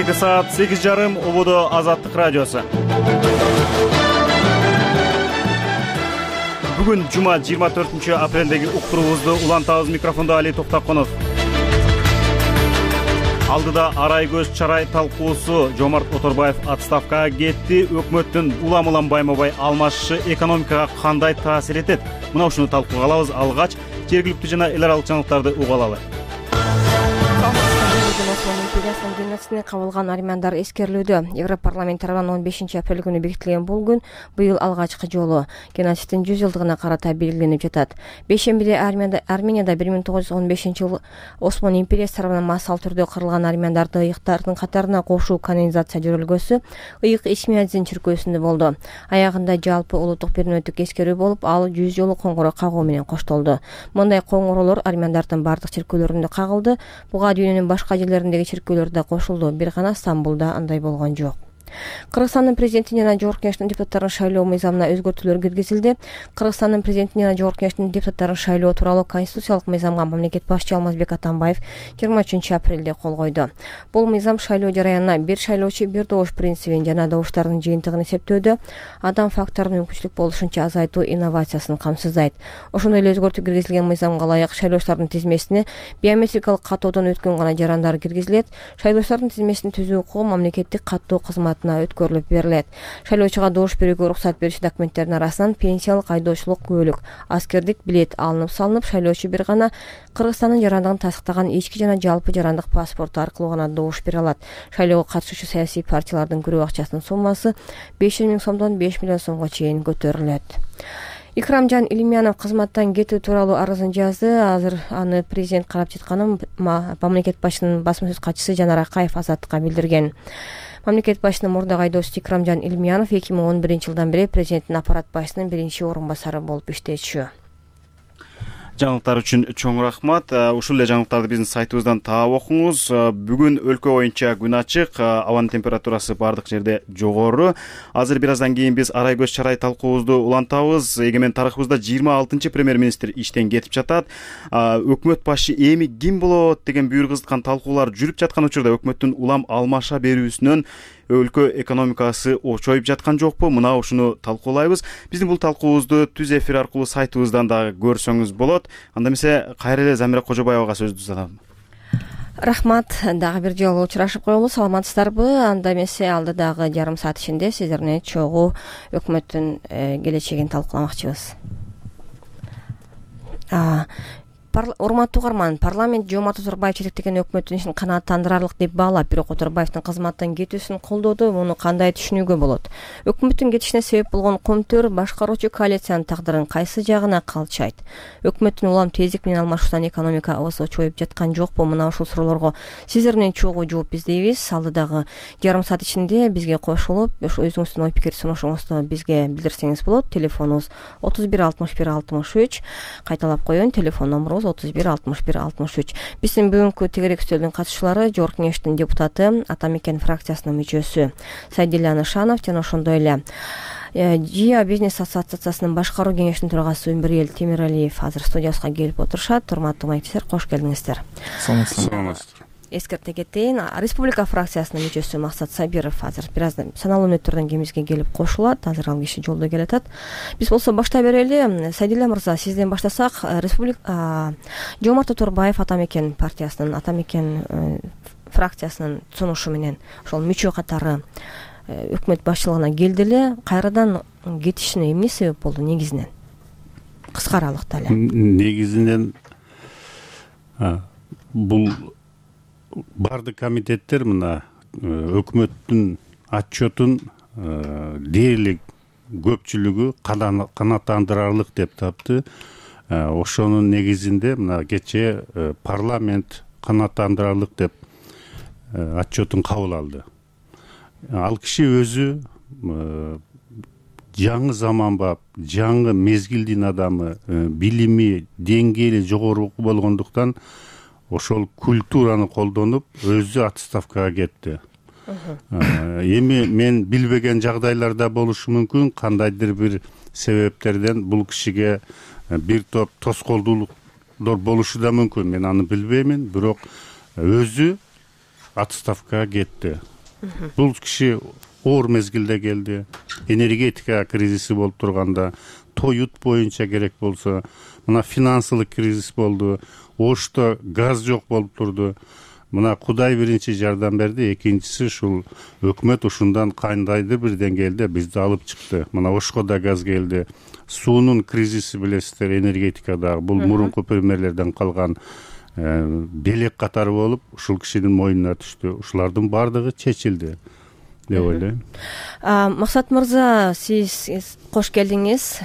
Кечки саат 8:30 Ободо Азаттык радиосу. Бүгүн жума 24-апрелдеги уктуруубузду улантабыз. Микрофондо Али Токтоконов. Алдыда арай көз чарай талкуусу. Жомарт Оторбаев отставкага кетти. Өкмөттүн улам байма-бай алмашышы экономикага кандай таасир этет? Мына ушуну талкууга алабыз. Алгач жергиликтүү жана эл аралык жаңылыктарды уга алалы. Империясынын кабылган армяндар эскерилүүдө. Европарламент тарабынан 15 апрель күнү бекитилген бул күн быйыл алгачкы жолу геноциддин 100 жылдыгына карата белгиленип жатат. Бейшембиде Арменияда 1915-жылы Осман империясы тарабынан массалуу түрдө кырылган армяндарды ыйыктардын катарына кошуу канонизация жүргүлгөсү ыйык Ичмиадзин чиркөөсүндө болду. Аягында жалпы улуттук пермөнөттүк эскерүү болуп, ал 100 жолу коңгуроо кагуу менен коштолду. Мындай коңгуроолор армяндардын бардык чиркөөлөрүндө кагылды. Буга дүйнөнүн башка жерлериндеги чиркөөлөр да кошулду. Бир гана Стамбулда андай болгон жок. Кыргызстандын президенти жана Жогорку Кеңештин депутаттарын шайлоо мыйзамына өзгөртүүлөр киргизилди. Кыргызстандын президенти жана Жогорку Кеңештин депутаттарын шайлоо тууралуу конституциялык мыйзамга мамлекет башчы Алмазбек Атамбаев 23-апрелде кол койду. Бул мыйзам шайлоо жараянына бир шайлоочу бир добуш принцибин жана добуштардын жыйынтыгын эсептөөдө адам факторунун мүмкүнчүлүк болушунча азайтуу инновациясын камсыздайт. Ошондой эле өзгөртүү киргизилген мыйзамга ылайык шайлоочулардын тизмесине биометрикалык каттоодон өткөн гана жарандар киргизилет. Шайлоочулардын тизмесин түзүү укугу мамлекеттик каттоо кызматына өткөрүлүп берилет. Шайлоочуга добуш берүүгө уруксат берүүчү документтердин арасынан пенсиялык, айдоочулук күбөлүк, аскердик билет алынып салынып, шайлоочу бир гана Кыргызстандын жарандыгын тастыктаган ички жана жалпы жарандык паспорту аркылуу гана добуш бере алат. Шайлоого катышуучу саясий партиялардын күрөө акчасынын суммасы 500 000 сомдон 5 миллион сомго чейин көтөрүлөт. Икрамжан Илимянов кызматтан кетүү тууралуу арызын жазды. Азыр аны президент карап жатканын мамлекет башчысынын басма сөз катчысы Жанар Акаев Азаттыкка билдирген. Мамлекет башчысынын мурдагы айдоочусу Икрамжан Илимянов 2011-жылдан бери президенттин аппарат башчысынын биринчи орун басары болуп иштечү. Жаңылыктар үчүн чоң рахмат. Ушул эле жаңылыктарды биздин сайтыбыздан таап окуңуз. Бүгүн өлкө боюнча күн ачык, абанын температурасы бардык жерде жогору. Азыр бир аздан кийин биз арай көз чарай талкуубузду улантабыз. Эгемен тарыхыбызда 26-чы премьер-министр иштен кетип жатат. Өкмөт башчы эми ким болот деген бүйүр кызыткан талкуулар жүрүп жаткан учурда өкмөттүн улам алмаша берүүсүнөн өлкө экономикасы очоюп жаткан жокпу? Мына ушуну талкуулайбыз. Биздин бул талкуубузду түз эфир аркылуу сайтыбыздан дагы көрсөңүз болот. Анда эмесе кайра эле Замира Кожобаевага сөздү узатам. Рахмат. Дагы бир жолу учурашып коелу. Саламатсыздарбы? Анда эмесе алдыдагы жарым саат ичинде сиздер менен чогуу өкмөттүн келечегин талкууламакчыбыз. Урматтуу угарман, парламент Жомарт Оторбаев жетектеген өкмөттүн ишин канааттандырарлык деп баалап, бирок Оторбаевдин кызматтан кетүүсүн колдоду. Муну кандай түшүнүүгө болот? Өкмөттүн кетишине себеп болгон комтөр башкаруучу коалициянын тагдырын кайсы жагына калчайт? Өкмөттүн улам тездик менен алмашуудан экономикабыз очоюп жаткан жокпу? Мына ушул суроолорго сиздер менен чогуу жооп издейбиз. Алдыдагы жарым саат ичинде бизге кошулуп, өзүңүздүн ой пикир сунушуңузду бизге билдирсеңиз болот. Телефонубуз 31 61 63. Кайталап коеюн, телефон номерубуз 31 61 63. Биздин бүгүнкү тегерек үстөлдүн катышуулары Жогорку Кеңештин депутаты, Атамекен фракциясынын мүчөсү Сайдилла Нышанов жана ошондой эле ЖИА бизнес ассоциациясынын башкаруу кеңешинин төрагасы Өмүрэл Темиралиев азыр студиябызга келип отурушат. Урматтуу маектештер, кош келиңиздер. Саламатсыздар. Эскерте кетейин, Республика фракциясынын мүчөсү Максат Сабиров азыр бир аздан саналуу мүнөттөрдөн кийин бизге келип кошулат. Азыр ал киши жолдо келатат. Биз болсо баштай берели. Сайдилла мырза, сизден баштасак, Жомарт Оторбаев Атамекен партиясынын, Атамекен фракциясынын сунушу менен ошол мүчө катары өкмөт башчылыгына келди эле. Кайрадан кетишине эмне себеп болду негизинен? Кыска аралыкта эле. Негизинен бул бардык комитеттер мына өкмөттүн отчетун дээрлик көпчүлүгү канааттандырарлык деп тапты. Ошонун негизинде мына кечээ парламент канааттандырарлык деп отчетун кабыл алды. Ал киши өзү жаңы заманбап, жаңы мезгилдин адамы, билими деңгээли жогору болгондуктан ошол культураны колдонуп өзү отставкага кетти. Эми мен билбеген жагдайларда болушу мүмкүн, кандайдыр бир себептерден бул кишиге бир топ тоскоолдуулуктар болушу да мүмкүн. Мен аны билбеймин, бирок өзү отставкага кетти. Бул киши оор мезгилде келди. Энергетика кризиси болуп турганда, тоют боюнча керек болсо, мына финансылык кризис болду. Ошто газ жок болуп турду. Мына Кудай биринчи жардам берди, экинчиси ушул өкмөт ушундан кандайдыр бир деңгээлде бизди алып чыкты. Мына Ошко да газ келди. Суунун кризиси билесиздер, энергетикадагы бул мурунку премьерлерден калган белек катары болуп, ушул кишинин мойнуна түштү. Ушулардын баардыгы чечилди деп ойлойм. Максат мырза, сиз кош келдиңиз.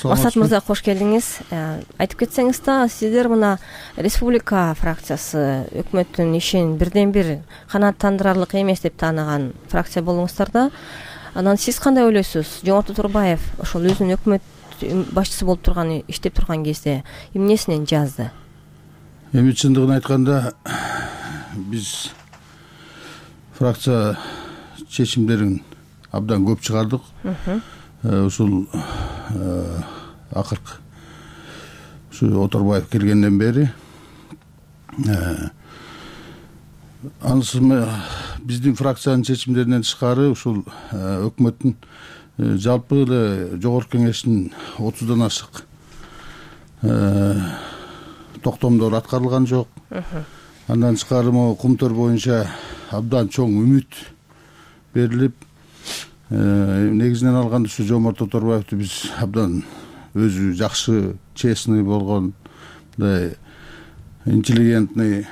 Максат мырза, кош келдиңиз. Айтып кетсеңиз да, сиздер мына Республика фракциясы өкмөттүн ишин бирден бир канааттандырарлык эмес деп таанаган фракция болуңуздар да. Анан сиз кандай ойлойсуз? Жомарт Оторбаев ошол өзүнүн өкмөт башчысы болуп турган, иштеп турган кезде эмнесинен жазды? Эми чындыгын айтканда, биз фракция чечимдерин абдан көп чыгардык. Ушул акыркы ушу Оторбаев келгенден бери анысы биздин фракциянын чечимдеринен тышкары ушул өкмөттүн жалпы эле жогорку кеңештин 30дан ашык токтомдор аткарылган жок. Андан тышкары могу кумтөр боюнча абдан чоң үмүт берилип, негизинен алганда ушу Жомарт Оторбаевди биз абдан өзү жакшы, честный болгон, мындай интеллигентный,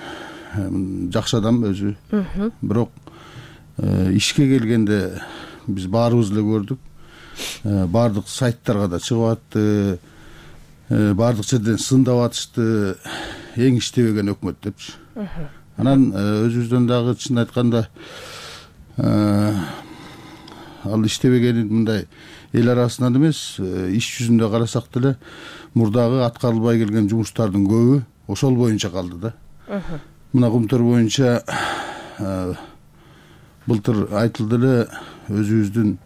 жакшы адам өзү. Бирок ишке келгенде биз баарыбыз эле көрдүк. Баардык сайттарга да чыгып атты, баардык жерден сындап атышты, эң иштебеген өкмөт депчи. Анан өзүбүздөн дагы чын айтканда ал иштебегенин мындай эл арасынан эмес, иш жүзүндө карасак деле мурдагы аткарылбай келген жумуштардын көбү ошол боюнча калды да. Мына кумтөр боюнча былтыр айтылды эле, өзүбүздүн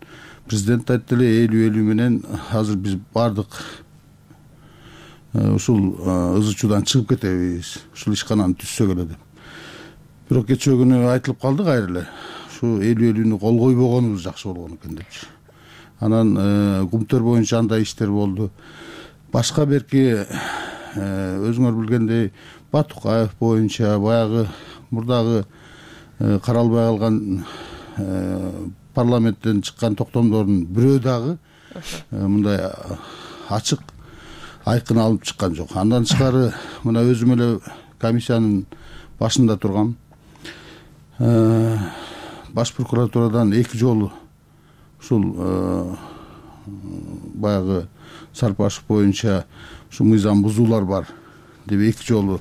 президент айтты эле, 50-50 менен азыр биз баардык ушул ызы-чуудан чыгып кетебиз, ушул ишкананы түзсөк эле деп. Бирок кечээ күнү айтылып калды кайра эле. Ушу 50-50-нү кол койбогонубуз жакшы болгон экен депчи. Анан кумтөр боюнча андай иштер болду. Башка берки өзүңөр билгендей Батукаев боюнча баягы мурдагы каралбай калган парламенттен чыккан токтомдордун бирөө дагы мындай ачык айкын алып чыккан жок. Андан тышкары мына өзүм эле комиссиянын башында тургам. Баш прокуратурадан 2 жолу ушул баягы Сарпашев боюнча ушу мыйзам бузуулар бар деп 2 жолу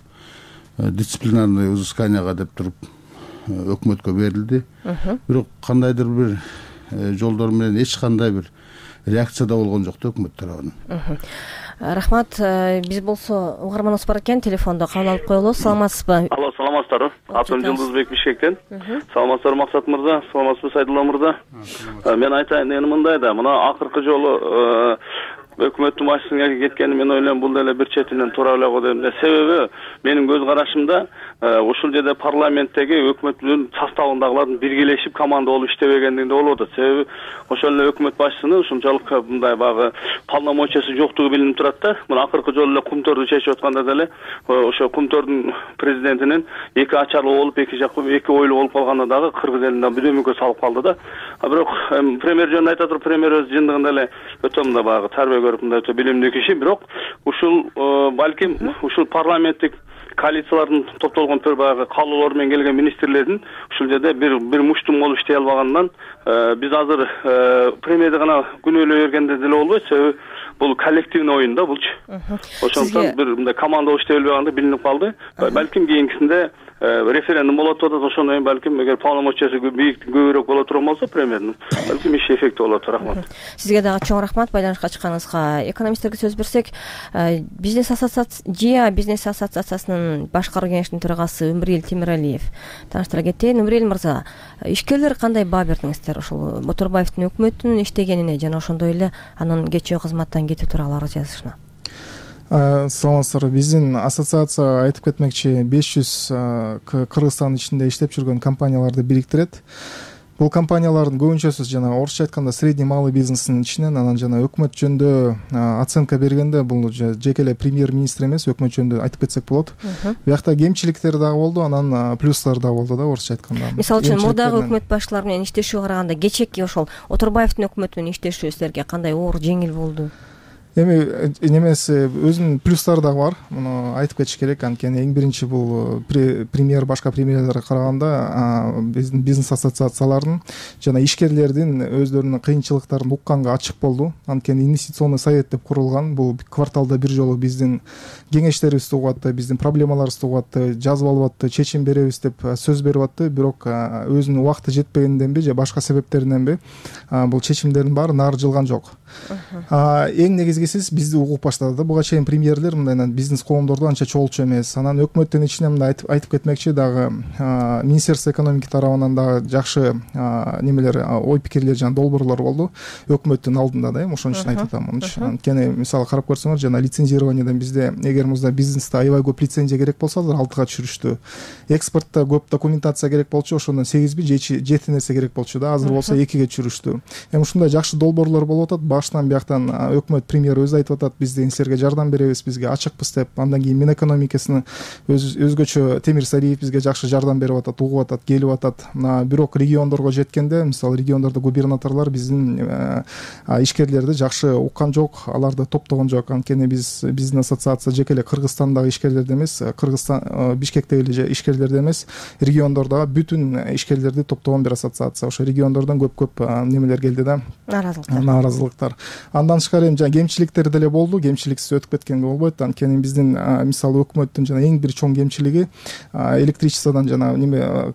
дисциплинарный взысканияга деп туруп өкмөткө берилди. Бирок кандайдыр бир жолдор менен эч кандай бир реакция да болгон жок да өкмөт тарабынан. Рахмат. Биз болсо угарманыбыз бар экен, телефондо кабыл алып коелу. Саламатсызбы? Алло, саламатсыздарбы? Атым Жылдызбек Бишкектен. Саламатсыздарбы Максат мырза, саламатсызбы Сайдулла мырза? Мен айтайын дегеним мындай да, мына акыркы жолу өкмөттүн башчысына кеткени мен ойлойм бул деле бир четинен туура эле го дейм да. Себеби менин көз карашымда ушул жерде парламенттеги өкмөттүн составындагылардын биргелешип команда болуп иштебегендигинде болуп атат. Себеби ошол эле өкмөт башчысынын ушунчалык мындай багы полномочиясы жоктугу билинип турат да. Мына акыркы жолу эле кумторду чечип атканда деле ошо кумтордун президентинин эки ачарлуу болуп, эки жак эки ойлуу болуп калганда дагы кыргыз элиnden бирөөмүккө салып калды да. Бирок премьер жөнүндө айта туруп, премьер өз жындыгында эле өтө мындай багы тарбия көрүп мындай өтө билимдүү киши. Бирок ушул балким ушул парламенттик коалициялардын топтолгон баягы каалоолор менен келген министрлердин ушул жерде бир муштум болуп иштей албагандан биз азыр премьерди гана күнөөлөй бергенде деле болбойт. Себеби бул коллективный оюн да булчу. Ошондуктан бир мындай команда болуп иштей албаганда билинип калды. Балким кийинкисинде референдум болот атат. Ошондон кийин балким эгер полномочиясы көбүрөөк боло турган болсо премьердин балким иш эффекти болот. Рахмат. Сизге дагы чоң рахмат байланышка чыкканыңызга. Экономисттерге сөз берсек, бизнес ассоциациясынын башкаруу кеңешинин төрагасы Өмүрэл Темиралиев тааныштыра кетейин. Өмүрэл мырза, ишкерлер кандай баа бердиңиздер ошол Оторбаевдин өкмөттүн иштегенине жана ошондой эле анын кечээ кызматтан кетүү тууралуу арыз жазышына? Саламатсыздарбы. Биздин ассоциация айтып кетмекчи 500 Кыргызстандын ичинде иштеп жүргөн компанияларды бириктирет. Бул компаниялардын көбүнчөсү жана орусча айтканда средний малый бизнестин ичинен, анан жана өкмөт жөнүндө оценка бергенде бул жеке эле премьер-министр эмес, өкмөт жөнүндө айтып кетсек болот. Биякта кемчиликтер дагы болду, анан плюстар дагы болду да, орусча айтканда. Мисалы үчүн мурдагы өкмөт башталары менен иштешүүгө караганда кечээки ошол Оторбаевдин өкмөтү менен иштешүү силерге кандай оор, жеңил болду? Эми немеси өзүнүн плюстары дагы бар. Муну айтып кетиш керек. Анткени эң биринчи бул премьер башка премьерлерге караганда биздин бизнес ассоциациялардын жана ишкерлердин өздөрүнүн кыйынчылыктарын укканга ачык болду. Анткени инвестиционный совет деп курулган. Бул кварталда бир жолу биздин кеңештерибизди угуп атты, биздин проблемаларыбызды угуп атты, жазып алып атты, чечим беребиз деп сөз берип атты. Бирок өзүнүн убакыты жетпегенденби же башка себептериненби бул чечимдердин баары нары жылган жок. Эң негизгиси бизди угуп баштады да. Буга чейин премьерлер мындай бизнес коомдордо анча чогулчу эмес. Анан өкмөттүн ичинен мындай айтып кетмекчи, дагы Министерство экономики тарабынан дагы жакшы немелер, ой пикирлер жана долбоорлор болду өкмөттүн алдында да. Ошон үчүн айтып атам. Анткени мисалы карап көрсөңөр, жана лицензированиеден бизде эгер музда бизнесте аябай көп лицензия керек болсо, азыр 6га түшүрүштү. Экспортто көп документация керек болчу, ошондон 8 же 7 нерсе керек болчу да. Азыр болсо 2ге түшүрүштү. Эми ушундай жакшы долбоорлор болуп атат. Баштан бияктан өкмөт премьер өзү айтып атат, биз силерге жардам беребиз, бизге ачыкпыз деп. Андан кийин Минэкономикасынын өзгөчө Темир Сариев бизге жакшы жардам берип атат, угуп атат, келип атат. Бирок региондорго жеткенде, мисалы региондордо губернаторлор биздин ишкерлерди жакшы уккан жок, аларды топтогон жок. Анткени биздин ассоциация жеке эле Кыргызстандагы ишкерлерди эмес, Кыргызстан Бишкектеги эле ишкерлерди эмес, региондордогу бүтүн ишкерлерди топтогон бир ассоциация. Ошо региондордон көп немелер келди да, нааразылыктар. Андан тышкары эми жана кемчиликтер деле болду. Кемчиликсиз өтүп кеткенге болбойт. Анткени биздин мисалы өкмөттүн жана эң бир чоң кемчилиги электричестводон жана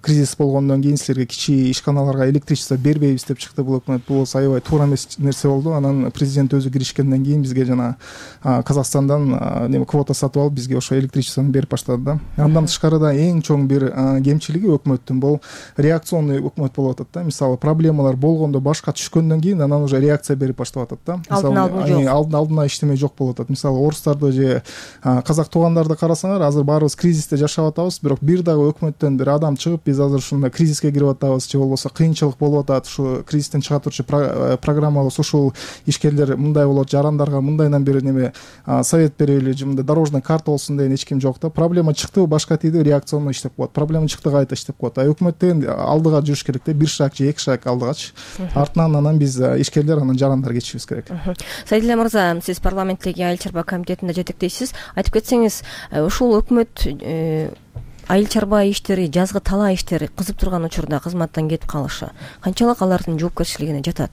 кризис болгондон кийин силерге кичи ишканаларга электричество бербейбиз деп чыкты бул өкмөт. Бул аябай туура эмес нерсе болду. Анан президент өзү киришкенден кийин бизге жана Казакстандан квота сатып алып бизге ошо электричествону берип баштады да. Андан тышкары да эң чоң бир кемчилиги өкмөттүн бул реакционный өкмөт болуп атат да. Мисалы проблемалар болгондо башка түшкөндөн кийин анан уже реакция берип баштап атат да. Алдына иштемей жок болуп атат. Мисалы орустарды же казак туугандарды карасаңар, азыр баарыбыз кризисте жашап атабыз, бирок бир дагы өкмөттөн бир адам чыгып, биз азыр ушундай кризиске кирип атабыз же болбосо кыйынчылык болуп атат, ушу кризистен чыга турчу программабыз ушул, ишкерлер мындай болот, жарандарга мындайдан бир неме совет берели, же мындай дорожный карта болсун деген эч ким жок да. Проблема чыкты, башка тийди, реакционно иштеп коет. Проблема чыкты, кайта иштеп коет. Өкмөт деген алдыга жүрүш керек да, бир шаг же 2 шаг алдыгачы. Артынан анан биз ишкерлер, анан жарандар кетишибиз керек. Сайдилла мырза, сиз парламенттеги айыл чарба комитетинде жетектейсиз. Айтып кетсеңиз, ушул өкмөт айыл чарба иштери, жазгы талаа иштери кызып турган учурда кызматтан кетип калышы канчалык алардын жоопкерчилигине жатат?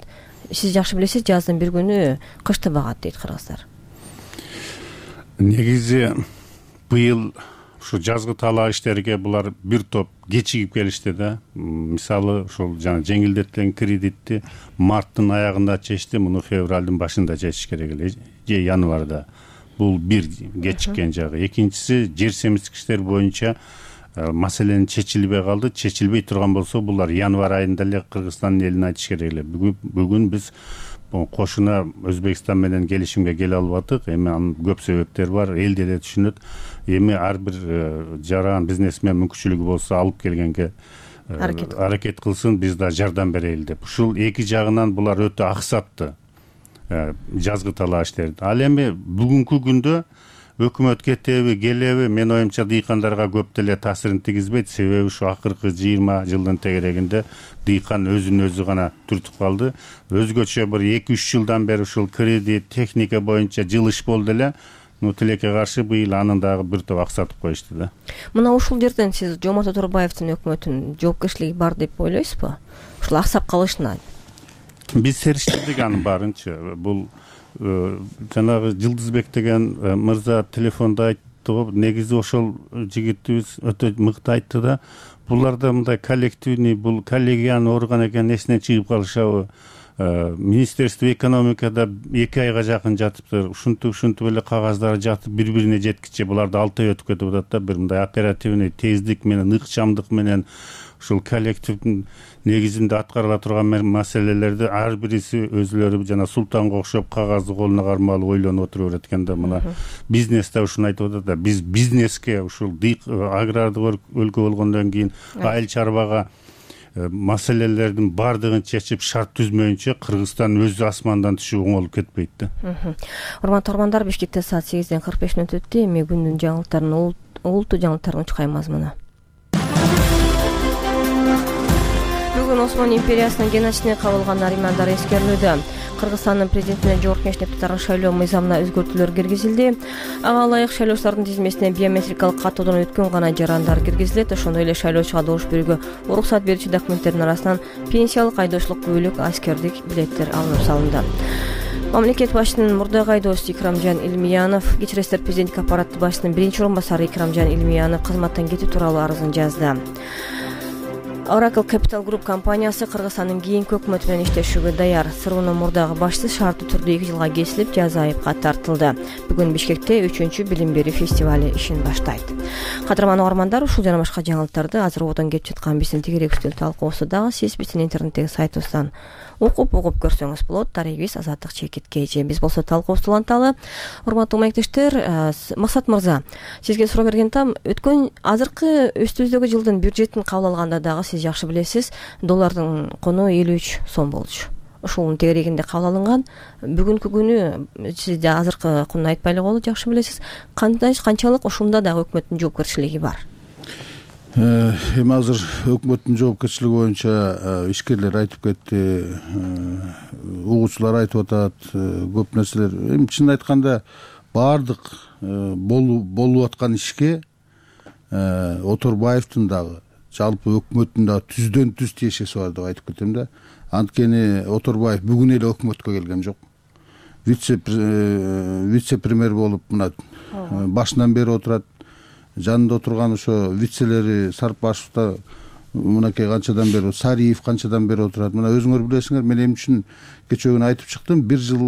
Сиз жакшы билесиз, жаздын бир күнү кышты багат дейт кыргыздар. Негизи быйыл ушу жазгы талаа иштериге булар бир топ кечигип келишти да. Мисалы ушул жана жеңилдетилген кредитти марттын аягында чечти, муну февралдын башында чечиш керек эле, же январда. Бул бир кечиккен жагы. Экинчиси, жер семиздик иштери боюнча маселени чечилбей калды. Чечилбей турган болсо, булар январь айында эле Кыргызстандын элине айтыш керек эле. Бүгүн биз кошуна Өзбекстан менен келишимге келе албадык. Эми анын көп себептери бар, эл деле түшүнөт. Эми ар бир жаран бизнесмен мүмкүнчүлүгү болсо алып келгенге аракет кылсын, биз да жардам берели деп. Ушул эки жагынан булар өтө аксатты жазгы талаа иштерди. Ал эми бүгүнкү күндө өкмөт кетеби, келеби, мен оюмча дыйкандарга көп деле таасирин тийгизбейт. Себеби ушу акыркы 20 жылдын тегерегинде дыйкан өзүн өзү гана түртүп калды. Өзгөчө бир 2-3 жылдан бери ушул кредит, техника боюнча жылыш болду эле. Тилекке каршы быйыл анын дагы бир топ аксатып коюшту да. Мына ушул жерден сиз Жомарт Оторбаевдин өкмөтүнүн жоопкерчилиги бар деп ойлойсузбу? Ушул аксап калышына. Биз сериштирдик анын баарынчы. Бул жанагы Жылдызбек деген мырза телефондо айтты го, негизи ошол жигитибиз өтө мыкты айтты да. Буларда мындай коллективный, бул коллегиялык орган экен, эсинен чыгып калышабы. Министерство экономикада 2 айга жакын жатыптыр. Ушинтип эле кагаздары жатып бири-бирине жеткиче буларды 6 ай өтүп кетип атат да. Бир мындай оперативный тездик менен, ыкчамдык менен ушул коллективдин негизинде аткарыла турган маселелерди ар бириси өзүлөрү жана султанга окшоп кагазды колуна кармап алып ойлонуп отура берет экен да. Мына бизнесте ушуну айтып атат да. Биз бизнеске ушул агрардык өлкө болгондон кийин айыл чарбага маселелердин баардыгын чечип шарт түзмөйүнчө Кыргызстан өзү асмандан түшүп оңолуп кетпейт да. Урматтуу угармандар, Бишкекте саат 8:45 өтүптү. Эми күндүн жаңылыктарын, улуттуу жаңылыктарын учкайбыз мына. Бүгүн Осман империясынын геноцидине кабылган армяндар эскерилүүдө. Кыргызстандын президентине Жогорку Кеңеш депутаттарын шайлоо мыйзамына өзгөртүүлөр киргизилди. Ага ылайык шайлоочулардын тизмесине биометрикалык каттоодон өткөн гана жарандар киргизилет. Ошондой эле шайлоочуга добуш берүүгө уруксат берүүчү документтердин арасынан пенсиялык айдоочулукка бөлөк аскердик билеттер алынып салынды. Мамлекет башчысынын мурдагы айдоочусу Икрамжан Илмиянов, Кечки иштер президенттик аппараты башчысынын биринчи орун басары Икрамжан Илмиянов кызматтан кетүү тууралуу арызын жазды. Oracle Capital Group компаниясы Кыргызстандын кийинки өкмөтү менен иштешүүгө даяр. СРУнун мурдагы башчысы шарттуу түрдө 2 жылга кесилип, жаза айыпка тартылды. Бүгүн Бишкекте 3-чү билим берүү фестивали ишин баштайт. Кадырман угармандар, ушул жана башка жаңылыктарды азыр одон кеп жаткан биздин тегерек үстөл талкуусу дагы сиз биздин интернеттеги сайтыбыздан угуп көрсөңүз болот. Тарыйбиз Азаттык Чекиткейчи. Биз болсо талкуубузду уланталы. Урматтуу маектештер, Максат мырза, сизге суроо берген там, өткөн азыркы үстүбүздөгү жылдын бюджетин кабыл алганда дагы сиз жакшы билесиз, доллардын кону 53 сом болчу. Ушунун тегерегинде кабыл алынган. Бүгүнкү күнү сиз да азыркы кунун айтпай эле коелу, жакшы билесиз. Канчалык ушунда дагы өкмөттүн жоопкерчилиги бар? Эми азыр өкмөттүн жоопкерчилиги боюнча ишкерлер айтып кетти, угуучулар айтып атат, көп нерселер. Эми чынын айтканда баардык болуп аткан ишке Оторбаевдин дагы, жалпы өкмөттүн дагы түздөн түз тиешеси бар деп айтып кетем да. Анткени Оторбаев бүгүн эле өкмөткө келген жок. Вице-премьер болуп мына башынан бери отурат. Жанында отурган ошо вицелери Сарпашевда мынакей канчадан бери, Сариев канчадан бери отурат. Мына өзүңөр билесиңер, мен эмне үчүн кечээ күнү айтып чыктым, 1 жыл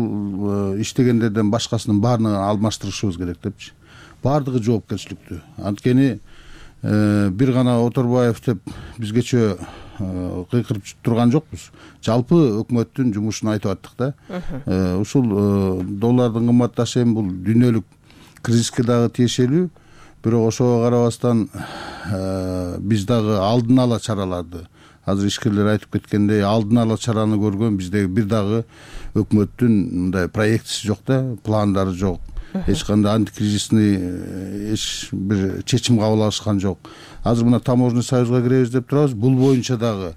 иштегендерден башкасынын баарына алмаштырышыбыз керек депчи. Баардыгы жоопкерчиликтүү. Анткени бир гана Оторбаев деп биз кечээ кыйкырып турган жокпуз. Жалпы өкмөттүн жумушун айтып аттык да. Ушул доллардын кымбатташы эми бул дүйнөлүк кризиске дагы тиешелүү. Бирок ошого карабастан биз дагы алдын ала чараларды, азыр ишкерлер айтып кеткендей, алдын ала чараны көргөн биздеги бир дагы өкмөттүн мындай проектиси жок да, пландары жок. Эч кандай антикризисный эч бир чечим кабыл алышкан жок. Азыр мына таможенный союзга киребиз деп турабыз. Бул боюнча дагы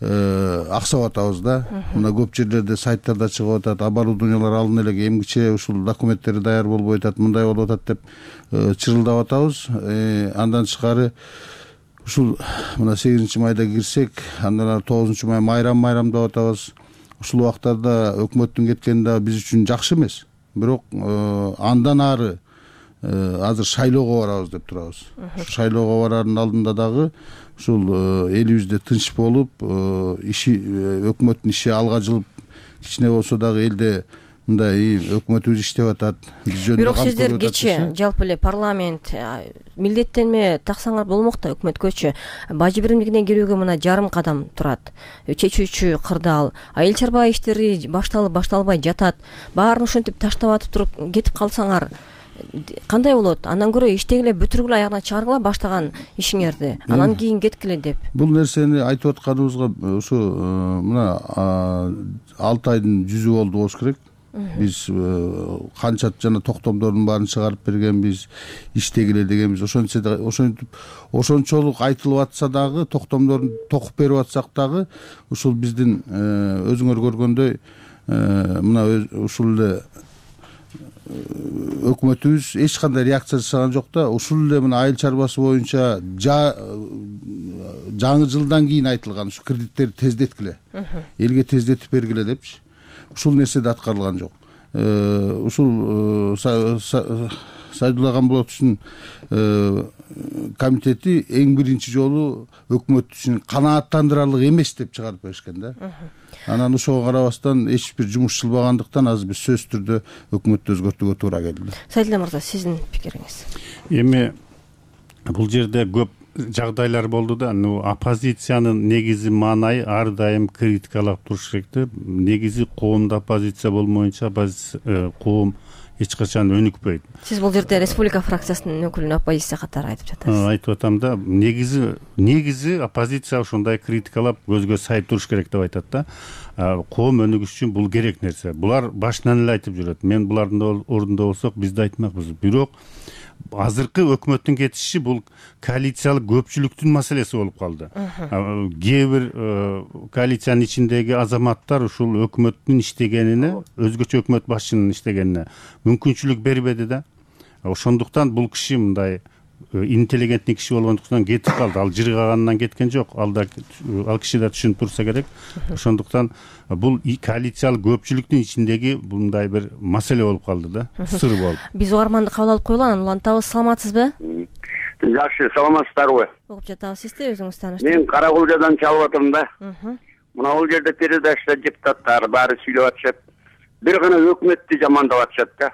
аксап атабыз да. Мына көп жерлерде сайттарда чыгып атат, оборудованиялар алына элек, эмгиче ушул документтери даяр болбой атат, мындай болуп атат деп чырылдап атабыз. Андан тышкары ушул мына 8-майда кирсек, андан 9-май майрам деп атабыз. Ушул убактарда өкмөттүн кеткени да биз үчүн жакшы эмес. Бирок андан ары азыр шайлоого барабыз деп турабыз. Шайлоого барардын алдында дагы ушул элибизде тынч болуп, өкмөттүн иши алга жылып, кичине болсо дагы элде мындай өкмөтүбүз иштеп атат. Бирок сиздер кечээ жалпы эле парламент милдеттенме таксаңар болмок да өкмөткөчү. Бажы биримдигине кирүүгө мына жарым кадам турат. Чечүүчү кырдаал, айыл чарба иштери башталып башталбай жатат. Баарын ушинтип таштап атып туруп кетип калсаңар кандай болот? Андан көрө иштегиле бүтүргүлө аягына чыгаргыла баштаган ишиңерди. Анан кийин кеткиле деп. Бул нерсени айтып атканыбызга ушу мына 6 айдын жүзү болду болуш керек. Биз канча жана токтомдордун баарын чыгарып бергенбиз, иштегиле дегенбиз. Ошончолук айтылып атса дагы, токтомдорун токуп берип атсак дагы, ушул биздин өзүңөр көргөндөй мына ушул эле өкмөтүбүз эч кандай реакция жасаган жок да. Ушул эле мына айыл чарбасы боюнча жаңы жылдан кийин айтылган ушу кредиттерди тездеткиле, элге тездетип бергиле депчи. Ушул нерсе да аткарылган жок. Ушул Сайдулла Камбулатовичтин комитети эң биринчи жолу өкмөт үчүн канааттандырарлык эмес деп чыгарып беришкен да. Анан ошого карабастан эч бир жумуш чылбагандыктан азыр биз сөзсүз түрдө өкмөттү өзгөртүүгө туура келди. Сайдулла мырза, сиздин пикириңиз? Эми бул жерде көп жагдайлар болду да. Оппозициянын негизи маанайы ар дайым критикалап туруш керек да. Негизи коомдо оппозиция болмоюнча коом эч качан өнүкпөйт. Сиз бул жерде республика фракциясынын өкүлүн оппозиция катары айтып жатасыз. Айтып атам да, негизи оппозиция ушундай критикалап көзгө сайып туруш керек деп айтат да. Коом өнүгүш үчүн бул керек нерсе. Булар башынан эле айтып жүрөт. Мен булардын ордунда болсок биз да айтмакпыз. Бирок азыркы өкмөттүн кетиши бул коалициялык көпчүлүктүн маселеси болуп калды. Кээ бир коалициянын ичиндеги азаматтар ушул өкмөттүн иштегенине, өзгөчө өкмөт башчынын иштегенине мүмкүнчүлүк бербеди да. Ошондуктан бул киши мындай интеллигентный киши болгондуктан кетип калды. Ал жыргаганынан кеткен жок. Ал киши да түшүнүп турса керек. Ошондуктан бул коалициялык көпчүлүктүн ичиндеги мындай бир маселе болуп калды да, сыр болуп. Биз угарманды кабыл алып коелу, анан улантабыз. Саламатсызбы? Жакшы, саламатсыздарбы? Угуп жатабыз. Сизди өзүңүз тааныштырыңыз. Мен Каракулжадан чалып атам да. Мына бул жерде передачада депутаттар баары сүйлөп атышат. Бир гана өкмөттү жамандап атышат да.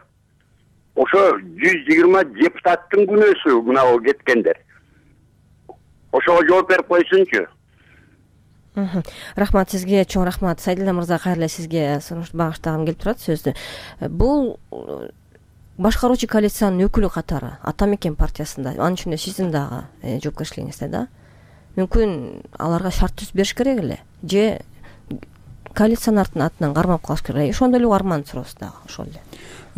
Ошо 120 депутаттын күнөөсү мына бул кеткендер. Ошого жооп берип койсунчу. Рахмат сизге, чоң рахмат. Сайдулла мырза, кайра сизге сурош багыштагым келип турат сөздү. Бул башкаруучу коалициянын өкүлү катары Ата Мекен партиясында, анын ичинде сиздин дагы жоопкерчилигиңизде да. Мүмкүн аларга шарт түзүп бериш керек эле, же коалициянын атынан кармап калыш керек. Ошондой эле арман суроосу дагы ошол эле.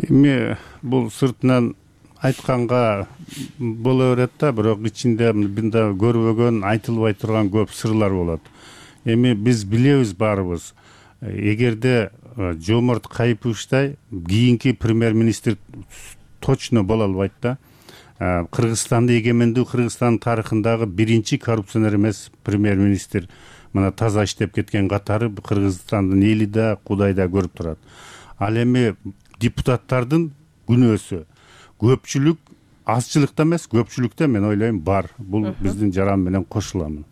Эми бул сыртынан айтканга боло берет да, бирок ичинде мында көрбөгөн, айтылбай турган көп сырлар болот. Эми биз билебиз баарыбыз, эгерде Жомарт Кайыповичтай кийинки премьер-министр точно боло албайт да. Кыргызстанда эгемендүү Кыргызстандын тарыхындагы биринчи коррупционер эмес премьер-министр мына таза иштеп кеткен катары Кыргызстандын эли да, Кудай да көрүп турат. Ал эми депутаттардын күнөөсү көпчүлүк азчылыкта эмес, көпчүлүктө мен ойлойм бар. Бул биздин жаран менен кошуламын.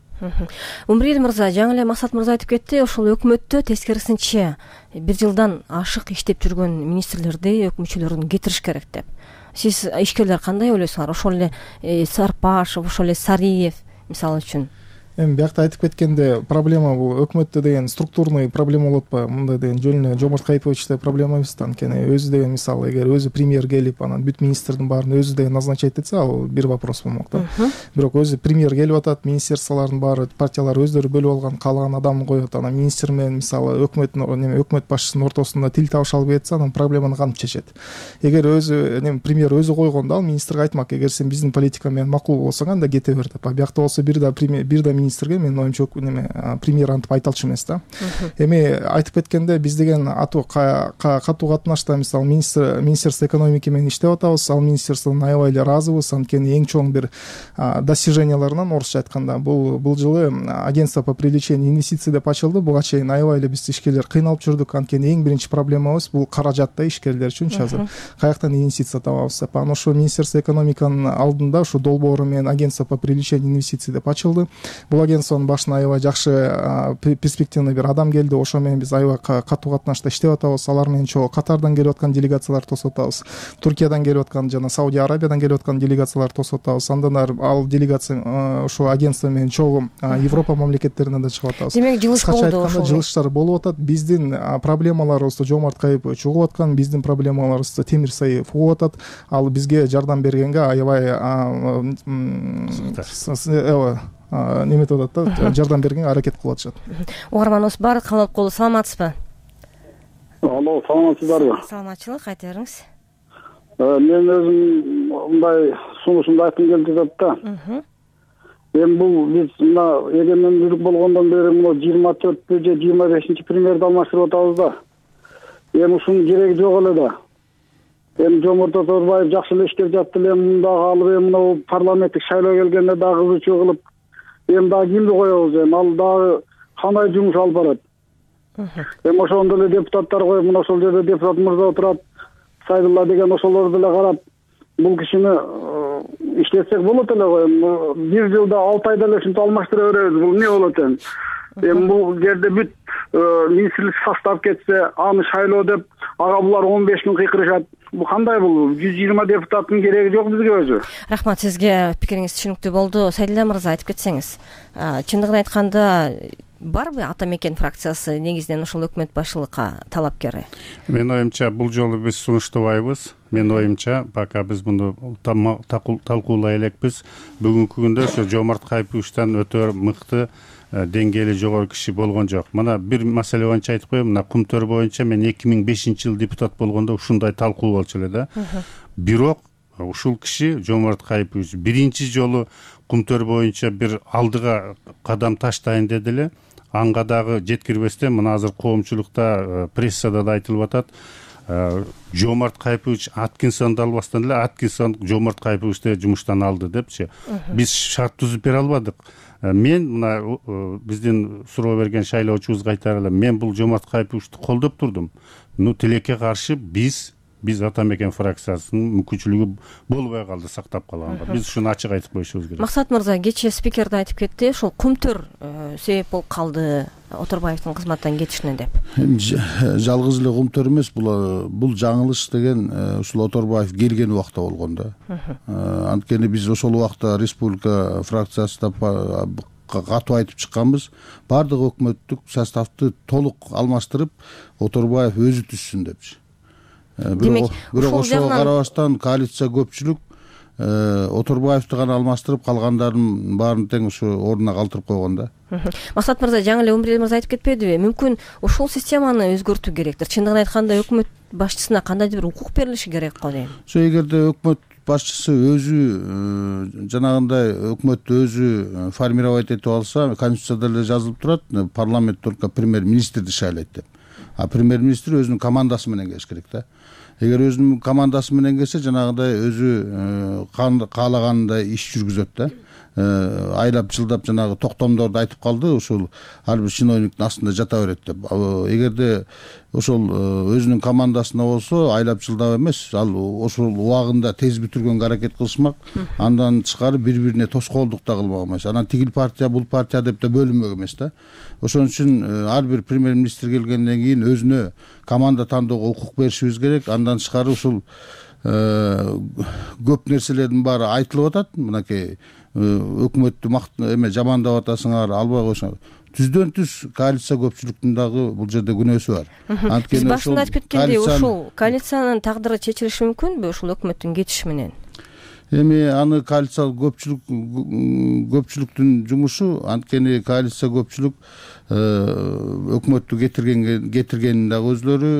Умрил мырза, жаңы эле Максат мырза айтып кетти, ошол өкмөттө тескерисинче 1 жылдан ашык иштеп жүргөн министрлерди, өкмөтчүлөрүн кетириш керек деп. Сиз ишкерлер кандай ойлойсуңар? Ошол эле Сарпашев, ошол эле Сариев мисалы үчүн. Эми биякта айтып кеткенде проблема бул өкмөттө деген структурный проблема болуп атпайбы? Мындай деген жөн эле Жомарт Кайыповичте проблема эмес да. Анткени өзү деген мисалы эгер өзү премьер келип, анан бүт министрдин баарын өзү деген назначать этсе, ал бир вопрос болмок да. Бирок өзү премьер келип атат, министрликтин баары партиялар өздөрү бөлүп алган, каалаган адамды коет, анан министр менен мисалы өкмөт башчысынын ортосунда тил табыша албай атса, анан проблеманы кантип чечет? Эгер өзү премьер өзү койгондо, ал министрге айтмак, эгер сен биздин политика менен макул болсоң, анда кете бер деп. Биякта болсо бир да министрге менин оюмча премьер антип айта алчу эмес да. Эми айтып кеткенде биз деген катуу катнашта мисалы министерство экономики менен иштеп атабыз. Ал министерстводон аябай эле ыраазыбыз. Анткени эң чоң бир достиженияларынан орусча айтканда бул жылы агентство по привлечению инвестиций деп ачылды. Буга чейин аябай эле биз ишкерлер кыйналып жүрдүк. Анткени эң биринчи проблемабыз бул каражат да, ишкерлер үчүнчү азыр каяктан инвестиция табабыз деп. Анан ошо министерство экономиканын алдында ушу долбоору менен агентство по привлечению инвестиций деп ачылды. Бул агентство башына аябай жакшы перспективный бир адам келди. Ошо менен биз аябай катуу катнашта иштеп атабыз. Алар менен чогуу Катардан келип аткан делегациялар тосуп атабыз. Туркиядан келип аткан жана Саудия Арабиядан келип аткан делегациялар тосуп атабыз. Андан ары ал делегация ошо агентство менен чогуу Европа мамлекеттерине да чыгып атабыз. Демек жылыш болду ошол. Жылыштар болуп атат. Биздин проблемаларыбызды Жомарт Кайыпович угуп аткан, биздин проблемаларыбызды Темир Саиев угуп атат. Ал бизге жардам бергенге аябай неметип атат да, жардам бергенге аракет кылып атышат. Угарманыбыз бар, кабыл алып коелу. Саламатсызбы? Алло, саламатсыздарбы? Саламатчылык, айта бериңиз. Мен өзүм мындай сунушумду айткым келип жатат да. Эми бул биз мына эгемендүүлүк болгондон бери мына 24 же 25 премьерди алмаштырып атабыз да. Эми ушунун кереги жок эле да. Эми Жомарт Оторбаев жакшы эле иштеп жатты эле, мындагы алып эми мына парламенттик шайлоо келгенде дагы кызуучу кылып, эми дагы кимди коебуз, эми ал дагы кандай жумуш алып барат? Эми ошондо эле депутаттар коюп, мына ошол жерде депутат мырза отурат, Сайдулла деген ошолорду деле карап, бул кишини иштетсек болот эле го. Эми 1 жылда 6 айда эле ушинтип алмаштыра беребиз. Бул эмне болот эми? Эми бул жерде бүт министрлик состав кетсе, аны шайлоо деп, ага булар 15 күн кыйкырышат. Бул кандай бул? 120 депутаттын кереги жок бизге өзү. Рахмат, сизге пикириңиз түшүнүктүү болду. Сайдилла мырза, айтып кетсеңиз. Чындыгын айтканда барбы Ата Мекен фракциясы негизинен ушул өкмөт башчылыкка талапкери? Менин оюмча бул жолу биз сунуштабайбыз. Менин оюмча пока биз муну талкуулай элекпиз. Бүгүнкү күндө ошо Жомарт Кайыповичтан өтө мыкты деңгээли жогору киши болгон жок. Мына бир маселе боюнча айтып коеюн. Мына Кумтөр боюнча мен 2005-жылы депутат болгондо ушундай талкуу болчу эле да. Бирок ушул киши Жомарт Кайыпович биринчи жолу Кумтөр боюнча бир алдыга кадам таштайын деди эле. Анга дагы жеткирбестен мына азыр коомчулукта, прессада да айтылып атат. Жомарт Кайыпович Аткинсонду албастан эле Аткинсон Жомарт Кайыповичти жумуштан алды депчи. Биз шарт түзүп бере албадык. Мен мына биздин суроо берген шайлоочубузга айтар элем, мен бул Жомарт Кайыповичти колдоп турдум. Тилекке каршы биз Ата Мекен фракциясынын мүмкүнчүлүгү болбой калды, сактап калганга. Биз ушуну ачык айтып коюшубуз керек. Максат мырза, кечээ спикер да айтып кетти, ушул Кумтөр себеп болуп калды Оторбаевдин кызматтан кетишине деп. Жалгыз эле Кумтөр эмес, бул жаңылыш деген ушул Оторбаев келген убакта болгон да. Анткени биз ошол убакта республика фракциясында катуу айтып чыкканбыз. Бардык өкмөттүк составды толук алмаштырып, Оторбаев өзү түзсүн депчи. Бирок ошого карабастан коалиция көпчүлүк Оторбаевди гана алмаштырып, калгандардын баарын тең ушу ордуна калтырып койгон да. Максат мырза, жаңы эле Умбердиев мырза айтып кетпедиби? Мүмкүн ушул системаны өзгөртүү керектир. Чындыгын айтканда өкмөт башчысына кандайдыр бир укук берилиши керек го дейм. Эгерде өкмөт башчысы өзү жанагындай өкмөттү өзү формировать этип алса, конституцияда эле жазылып турат, парламент только премьер-министрди шайлайт деп. А премьер-министр өзүнүн командасы менен келиш керек да. Эгер өзүнүн командасы менен келсе, жанагындай өзү каалагандай иш жүргүзөт да. Айлап жылдап жанагы токтомдорду айтып калды, ушул ар бир чиновниктин астында жата берет деп. Эгерде ошол өзүнүн командасына болсо, айлап жылдап эмес, ал ошол убагында тез бүтүргөнгө аракет кылышмак. Андан тышкары бири-бирине тоскоолдук да кылмак эмес. Анан тигил партия, бул партия деп да бөлүнмөк эмес да. Ошон үчүн ар бир премьер-министр келгенден кийин өзүнө команда тандоого укук беришибиз керек. Андан тышкары ушул көп нерселердин баары айтылып атат. Мынакей өкмөттү жамандап атасыңар, албай койсоңор. Түздөн түз коалиция көпчүлүктүн дагы бул жерде күнөөсү бар. Биз башында айтып кеткендей, ушул коалициянын тагдыры чечилиши мүмкүнбү ушул өкмөттүн кетиши менен? Эми аны коалиция көпчүлүктүн жумушу, анткени коалиция көпчүлүк өкмөттү кетиргенин дагы өзлөрү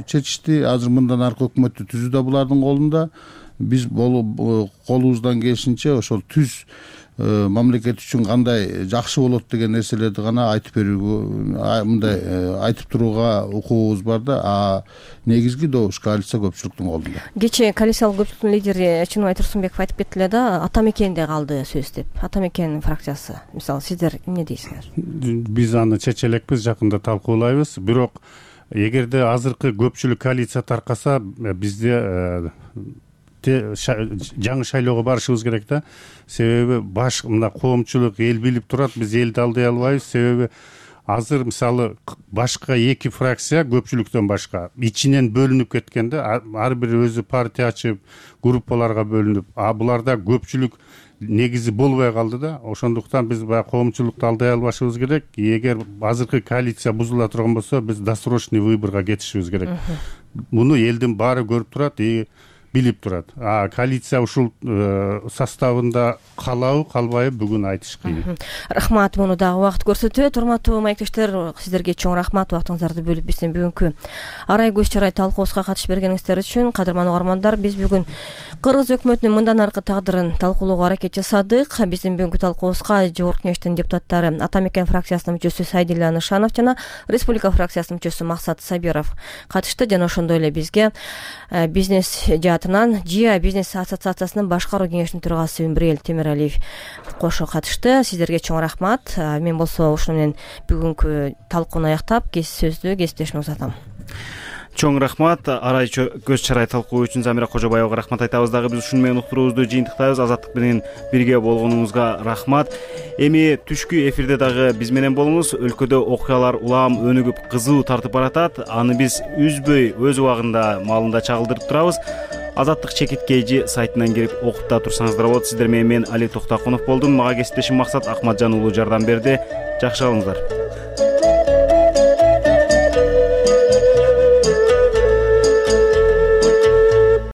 чечишти. Азыр мындан аркы өкмөттү түзүү да булардын колунда. Биз колубуздан келишинче ошол түз мамлекет үчүн кандай жакшы болот деген нерселерди гана айтып берүүгө, мындай айтып турууга укугубуз бар да. Негизги добуш коалиция көпчүлүктүн колунда. Кечээ коалициялык көпчүлүктүн лидери Чыныбай Турсунбеков айтып кетти эле да, Ата Мекенде калды сөз деп. Ата Мекен фракциясы, мисалы сиздер эмне дейсиңер? Биз аны чече элекпиз, жакында талкуулайбыз. Бирок эгерде азыркы көпчүлүк коалиция таркаса, бизде жаңы шайлоого барышыбыз керек да. Себеби мына коомчулук эл билип турат, биз элди алдай албайбыз. Себеби азыр мисалы башка эки фракция көпчүлүктөн башка ичинен бөлүнүп кеткенде, ар бири өзү партия ачып, группаларга бөлүнүп, буларда көпчүлүк негизи болбой калды да. Ошондуктан биз баягы коомчулукту алдай албашыбыз керек. Эгер азыркы коалиция бузула турган болсо, биз досрочный выборго кетишибиз керек. Муну элдин баары көрүп турат, билип турат. Коалиция ушул составында калабы, калбайбы бүгүн айтыш кыйын. Рахмат, муну дагы убакыт көрсөтөт. Урматтуу маектештер, сиздерге чоң рахмат убактыңыздарды бөлүп биздин бүгүнкү арай көз чарай талкуубузга катышып бергениңиздер үчүн. Кадырман угармандар, биз бүгүн Кыргыз өкмөтүнүн мындан аркы тагдырын талкуулоого аракет жасадык. Биздин бүгүнкү талкуубузга Жогорку Кеңештин депутаттары Ата Мекен фракциясынын мүчөсү Сайдилла Нышанов жана Республика фракциясынын мүчөсү Максат Сабиров катышты. Жана ошондой эле бизге бизнес жаатынан ЖИА бизнес ассоциациясынын башкаруу кеңешинин төрагасы Умбердиев Темиралиев кошо катышты. Сиздерге чоң рахмат. Мен болсо ушуну менен бүгүнкү талкууну аяктап, сөздү кесиптешиме узатам. Чоң рахмат. Арай көз чарай талкуу үчүн Замира Кожобаевага рахмат айтабыз. Дагы биз ушуну менен уктуруубузду жыйынтыктайбыз. Азаттык менен бирге болгонуңузга рахмат. Эми түшкү эфирде дагы биз менен болуңуз. Өлкөдө окуялар улам өнүгүп кызуу тартып баратат. Аны биз үзбөй өз убагында маалында чагылдырып турабыз. Азаттык чекит KG сайтынан кирип окуп да турсаңыздар болот. Сиздер менен мен Али Токтокунов болдум. Мага кесиптешим Максат Акматжан уулу жардам берди. Жакшы калыңыздар.